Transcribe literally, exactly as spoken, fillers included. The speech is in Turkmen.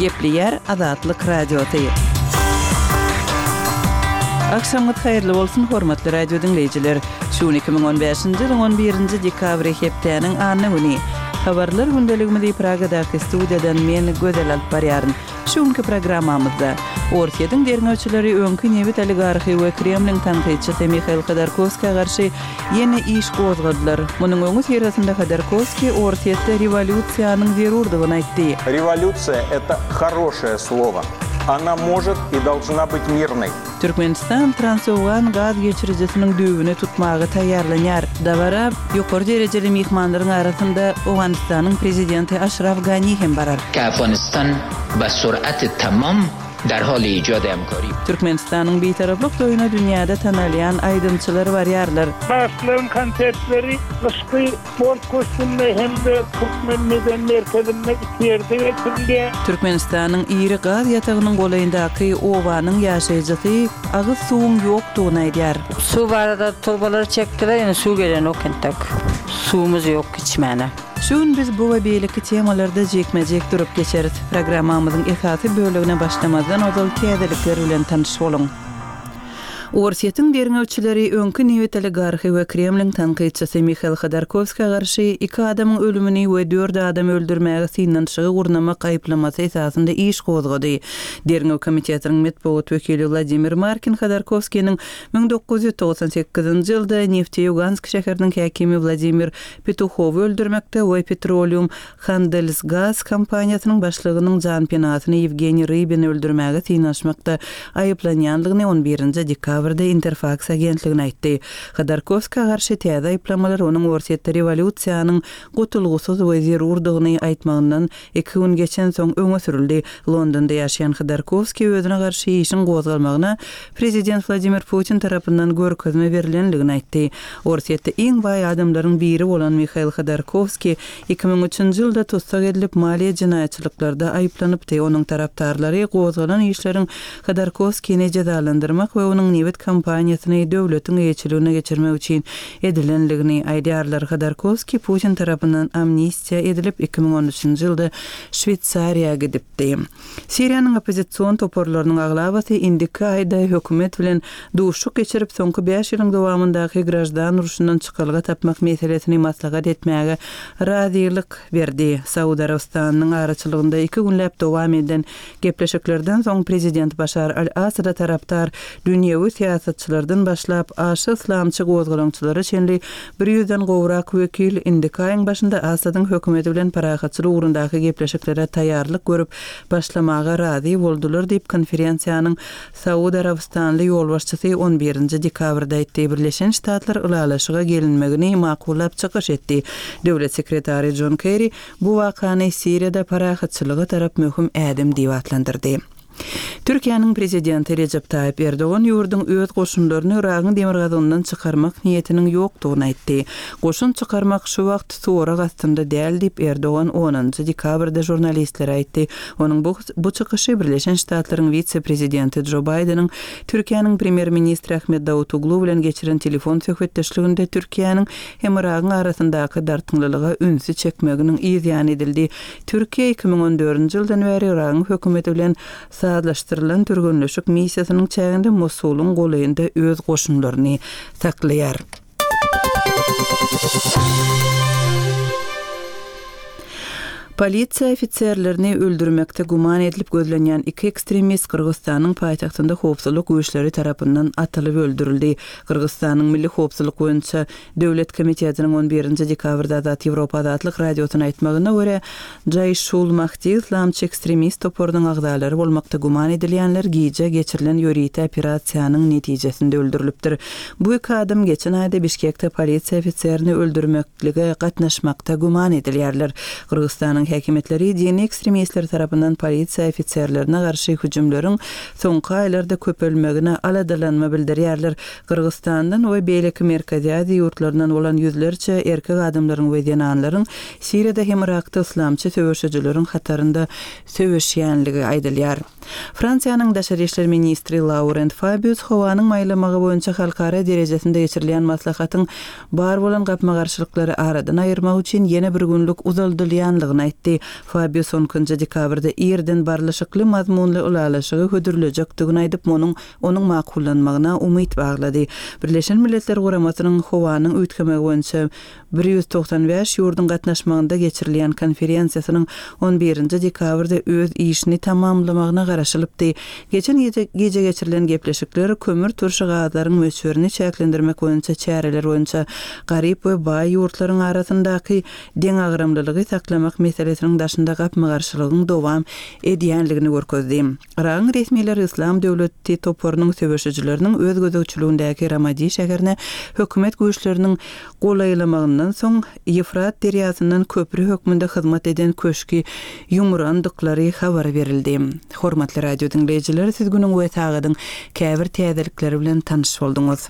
Gepleýär Azatlyk Radiosy. Agşamyňyz haýyrly bolsun, hormatly radio diňleýjiler. Şu gün iki müň on bäşinji ýylyň on birinji dekabry hepdäniň anna güni. Habarlar gündeligimizi Pragadaky studiýadan men Gözel alyp barýaryn. Şu günki programmamyzda Orsýetiň derňewçileri öňki nebit oligarhy we Kremliň tankytçysy Mihail Hodorkowskä garşy ýene iş gozgadylar. Munuň öňüsyrasynda Hodorkowskiý Orsýetde rewolýusiýanyň zerurdygyny aýtdy. Rewolýusiýa это хорошее слово. Она может и должна быть мирной. Türkmenistan Transowgan gaz geçirijisiniň düýbüni tutmaga taýýarlanýar. Dabara ýokary derejeli myhmanlaryň arasynda Owganystanyň prezidenti Aşraf Gani hem barar. Afganistan be sur'at tamam der hal ijad hemkari. Türkmenistanyň Bitaraplyk toýuna dünýäde tanalýan aýdymçylar barýarlar. Bagşylaryň konsertleri gyşky sport köşgünde hem-de Türkmen medeni merkezinde iki ýerde geçirilýär. Türkmenistanyň iri gaz ýatagynyň golaýyndaky obanyň ýaşaýjysy agyz suwuň ýokdugyny aýdýar. Suw barada turbalary çekdiler, ýöne suw gelenok entek. Suwumyz ýok içmäne. Şu gün biz bu we beýleki temalarda jikme-jik durup geçeris. Programmamyzyň esasy bölegine başlamazdan ozal täzelikler bilen tanyş boluň. Orsýetiň derňewçileri öňki nebit oligarhy we Kremliň tankytçysy Mihail Hodorkowskä garşy iki adamyň ölümini we dört adamy öldürmäge synanyşygy gurnamak aýyplamasy esasynda iş gozgady. Derňew komitetiniň metbugat wekili Wladimir Markin Hodorkowskiniň müň dokuz ýüz togsan sekizinji ýylda Nefteýugansk şäheriniň häkimi Wladimir Petuhowy öldürmekde we Petroleum Handelsgaz kompaniýasynyň başlygynyň janpenasyny Ýewgeniý Rybini öldürmäge synanyşmakda aýyplanýandygyny on birinji dekabrda Interfaks agentligine aýtdy. Hodorkowskä garşy täze aýyplamalar onuň Orsýetde rewolýusiýanyň gutulgysyz we zerurdygyny aýtmagyndan iki gün geçensoň öňe sürüldi. Londonda ýaşaýan Hodorkowskiý özüne garşy işiň gozgalmagyna prezident Wladimir Putin tarapyndan görkezme berilendigini aýtdy. Orsýetde iň baý adamlaryň biri bolan Mihail Hodorkowskiý iki müň üçünji ýylda tussag edilip maliýe jenaýatçylyklarda aýyplanypdy. Onuň tarapdarlary gozgalan işleriň Hodorkowskini jezalandyrmak we onuň nebit kompaniýasyny döwletiň eýeçiligine geçirmek üçin edilendigini aýdýarlar. Hodorkowskiý Putin tarapyndan amnistiýa edilip iki müň on üçünji ýylda Şweýsariýa gidipdi. Siriýanyň oppozision toparlarynyň aglabasy indiki aýda hökümet bilen duşuşyk geçirip, soňky bäş ýylyň dowamyndaky graždan urşundan çykalga tapmak meselesini maslahat etmäge razylyk berdi. Saud Arabystanynyň araçylygynda iki günläp dowam eden gepleşiklerden soň prezident Başar al-Asada tarapdar dünýewi syýasatçylardan başlap aşa yslamçy gozgalaňçylara çenli bir ýüzden gowrak wekil indiki aýyň başynda Asadyň hökümeti bilen parahatçylyk ugrundaky gepleşiklere taýýarlyk görüp başlamaga razy boldular diýip konferensiýanyň Saud Arabystanly ýolbaşçysy on birinji dekabrda aýtdy. Birleşen Ştatlar ylalaşyga gelinmegini makullap çykyş etdi. Döwlet sekretary John Kerry bu wakany Siriýada parahatçylyga tarap möhüm ädim diýip atlandyrdy. Türkiýäniň prezidenti Recep Tayyip Erdogan ýurduň öz goşunlaryny Yragyň demirgazygyndan çykarmak niýetiniň ýokdugyny aýtdy. Goşun çykarmak şu wagt sorag astynda däl diýip Erdogan onunjy dekabrda žurnalistlere aýtdy. Onuň bu, bu çykyşy Birleşen Ştatlaryň wise-prezidenti Joe Bideniň Türkiýäniň premýer-ministri Ahmet Davutoglu bilen geçiren telefon söhbetdeşliginde Türkiýäniň hem Yragyň arasyndaky dartgynlylyga ünsi çekmeginiň yz ýany edildi. Türkiýe iki müň on dördünji ýyldan bäri Yragyň hökümeti bilen sazlaşdyrylan türgenleşik missiýasynyň çäginde Mosulyň golaýynda öz goşunlaryny saklaýar. Polisiýa ofiserlerini öldürmekde güman edilip gözlenýän iki ekstremist Gyrgyzystanyň paýtagtynda howpsuzlyk güýçleri tarapyndan atylyp öldürildi. Gyrgyzystanyň Milli Howpsuzlyk boýunça Döwlet komitetiniň on birinji dekabrda Azat Ýewropa Azatlyk radiosyna aýtmagyna görä, Jaýşul Mahdi yslamçy ekstremist toparynyň agzalary bolmakda güman edilýänler gije geçirilen ýörite operasiýanyň netijesinde öldürilipdir. Bu iki adam geçen aýda Bişkekde polisiýa ofiserini öldürmeklige gatnaşmakda güman edilýärler. Gyrgyzystanyň häkimiýetleri dini ekstremistler tarapyndan polisiýa ofiserlerine garşy hüjümleriň soňky aýlarda köpelmegine aladalanma bildirýärler. Gyrgyzystandan we beýleki Merkezi Aziýa ýurtlaryndan bolan ýüzlerçe erkek adamlaryň we zenanlaryň Siriýada hem Yrakda yslamçy söweşijileriň hatarynda söweşýänligi aýdylýar. Fransiýanyň daşary işler ministri Laurent Fabius howanyň maýlamagy boýunça halkara derejesinde geçirilýän maslahatyň bar bolan gapma-garşylyklary aradan aýyrmak üçin ýene bir günlük uzaldylýanlygyny aýtdy. aýtdy. Fabius on ikinji dekabrda irden barlyşykly mazmunly ylalaşygy hödürlejekdigini aýdyp, munuň onuň makullanmagyna umyt baglady. Birleşen Milletler Guramasynyň howanyň üýtgemegi boýunça bir ýüz togsan bäş ýurduň gatnaşmagynda geçirilýän konferensiýasynyň on birinji dekabrda öz işini tamamlamagyna garaşylypdy. Geçen gije geçirilen gepleşikler kömür turşy gazlaryň möçberini çäklendirmek boýunça çäreler boýunça garyp we baý ýurtlaryň arasyndaky deňagramlylygy saklamak meselesiniň daşynda gapma-garşylygyň dowam edýänligini görkezdi. Yragyň resmileri Yslam döwleti toparynyň söweşijileriniň öz gözegçiligindäki Ramadi şäherine hökümet güýçleriniň golaýlamagyndan soň Ýefrat derýasyndan köpri hökmünde hyzmat eden köşki ýumrandyklary habar berildi. Hormatly radio diňleýjiler, siz günüň we sagadyň käbir täzelikleri bilen tanyş bolduňyz.